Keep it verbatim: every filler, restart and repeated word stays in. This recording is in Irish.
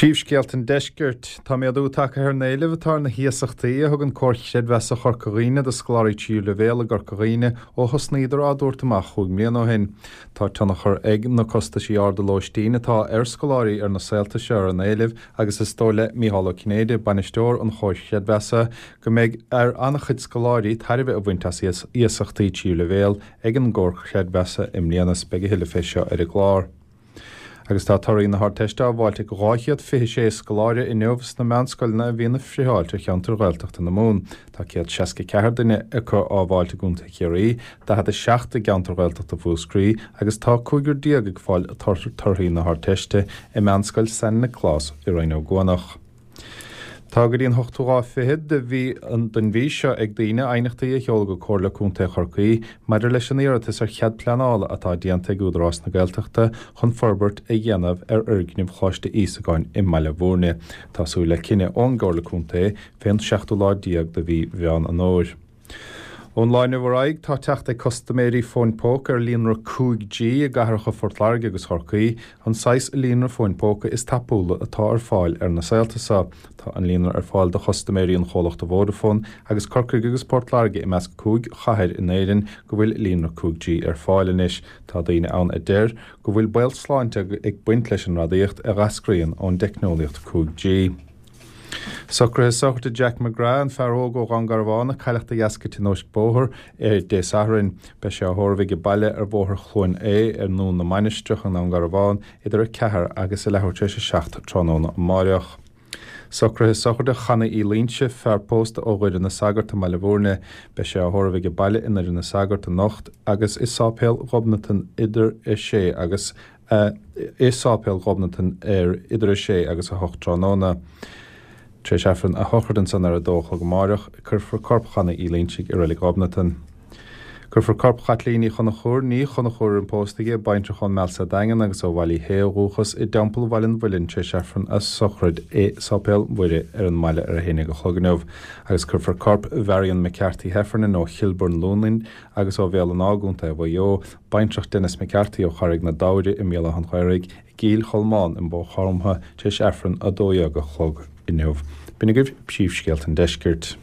Príomhscéalta an Deiscirt. Tá méadú tagtha ar an éileamh atá ar na hiasachtaí a thugann Comhar Creidmheasa Chorca Dhuibhne do scoláirí tríú leibhéal i gCorca Dhuibhne ó thosnaíodar á dtabhairt amach chúig mbliana ó shin. Tá tionchar ag na costaisí arda lóistín atá ar scoláirí ar na saolta seo ar an éileamh agus is dóigh le Mícheál Ó Cinnéide, bainisteoir an Chomhair Chreidmheasa, go mbeidh ar an-chuid scoláirí tairbhe a bhaint as iasachtaí tríú leibhéal ag an gComhar Creidmheasa i mbliana. Beidh a thuilleadh fé seo ar an gclár. Agus tá torthaí na hArdteiste á bhfáilt ag dhá chéad fiche sé scoláire inniu sna meánscoileanna a bhíonn ag friotháilt ar cheantar Ghaeltachta na Mumhan. Tá céad seasca ceathair duine acu á bhfáilt i gContae Chiarraí, daichead a seacht i gceantar Ghaeltachta Mhúscraí agus tá cúigear déag ag fáil torthaí na hArdteiste i Meánscoil San Nioclás i Rinn Ó gCuanach. Tá go dtí an hochtú lá fichead de mhí den mhí seo ag daoine aighneachtaí a sheoladh go Comhairle Contae Chorcaí maidir leis an iarratas ar chead pleanála atá déanta ag Údarás na Gaeltachta chun forbairt a dhéanamh ar fhoirgneamh Choláiste Íosagáin i mBaile Bhúirne. Tá súil le cinneadh ón gComhairle Contae fén seachtú lá déag de mhí Mheán an Fhómhair. Ón lá inniu ar aghaidh, tá teacht ag custaiméirí fóin póca ar líonra cúig G i gcathracha Phort Láirge agus Chorcaí, an saghas líonra fóin póca is tapúla atá ar fáil ar na saolta seo. Tá an líonra ar fáil do chustaiméirí an chomhlachta Vodafone agus Corcaigh agus Port Láirge i measc cúig chathair in Éirinn go bhfuil líonra cúig G ar fáil anois. Tá daoine ann a deir go bhfuil baol sláinte ag baint leis an radaíocht a dh'eascraíonn ón dteicneolaíocht cúig G. Socruithe sochraide Jack McGrath, an fear óg ó Dhún Garbhán a cailleadh de dheasca tionóisc bóthair ar Dé Sathairn. Beidh sé á thórramh age baile ar Bhóthar Chluain Aodha ar nDún na Mainistreach i nDún Garbhán idir a ceathair agus a leathuair tar éis a seacht tráthnóna amáireach. Socruithe sochraide Chanaí Uí Loinsigh, fear pósta ó Dhoire na Sagart i mBaile Bhúirne. Beidh sé á thórramh age baile i nDoire na Sagart anocht agus i Sáipéal Ghobnatan idir a sé agus a i Sáipéal Ghobnatan ar idir a sé agus a hocht tráthnóna. Tar éis Aifreann a shochraide ansan ar a dó a chlog amáireach, cuirfear corp Chanaí Uí Loinsigh i Reilig Ghobnatan. Cuirfear corp Chaitlín Uí Chonchúir, Ní Chonchúir ar an pósta aici, baintreach ón Meal sa Daingean agus ó Bhaile Uí Shé ó dhúchas, i dTeampall Bhaile an Mhuilinn tar éis Aifreann a sochraid i Sáipéal Mhuire ar an mbaile ar a haon déag a chlog inniu. Agus cuirfear corp Mharion McCarthy Heffernan ó Chilburn Luain agus ó Bhéal an Átha i gContae Mhaigh Eo, baintreach Denis McCarthy ó Charraig na Dairbhre i mBéal Átha an Ghaorthaidh, i gCill Cholmáin i mBóth Chromtha tar éis Aifreann a dó dhéag a chlog inniu. B'in agaibh príomhscéalta an deiscirt.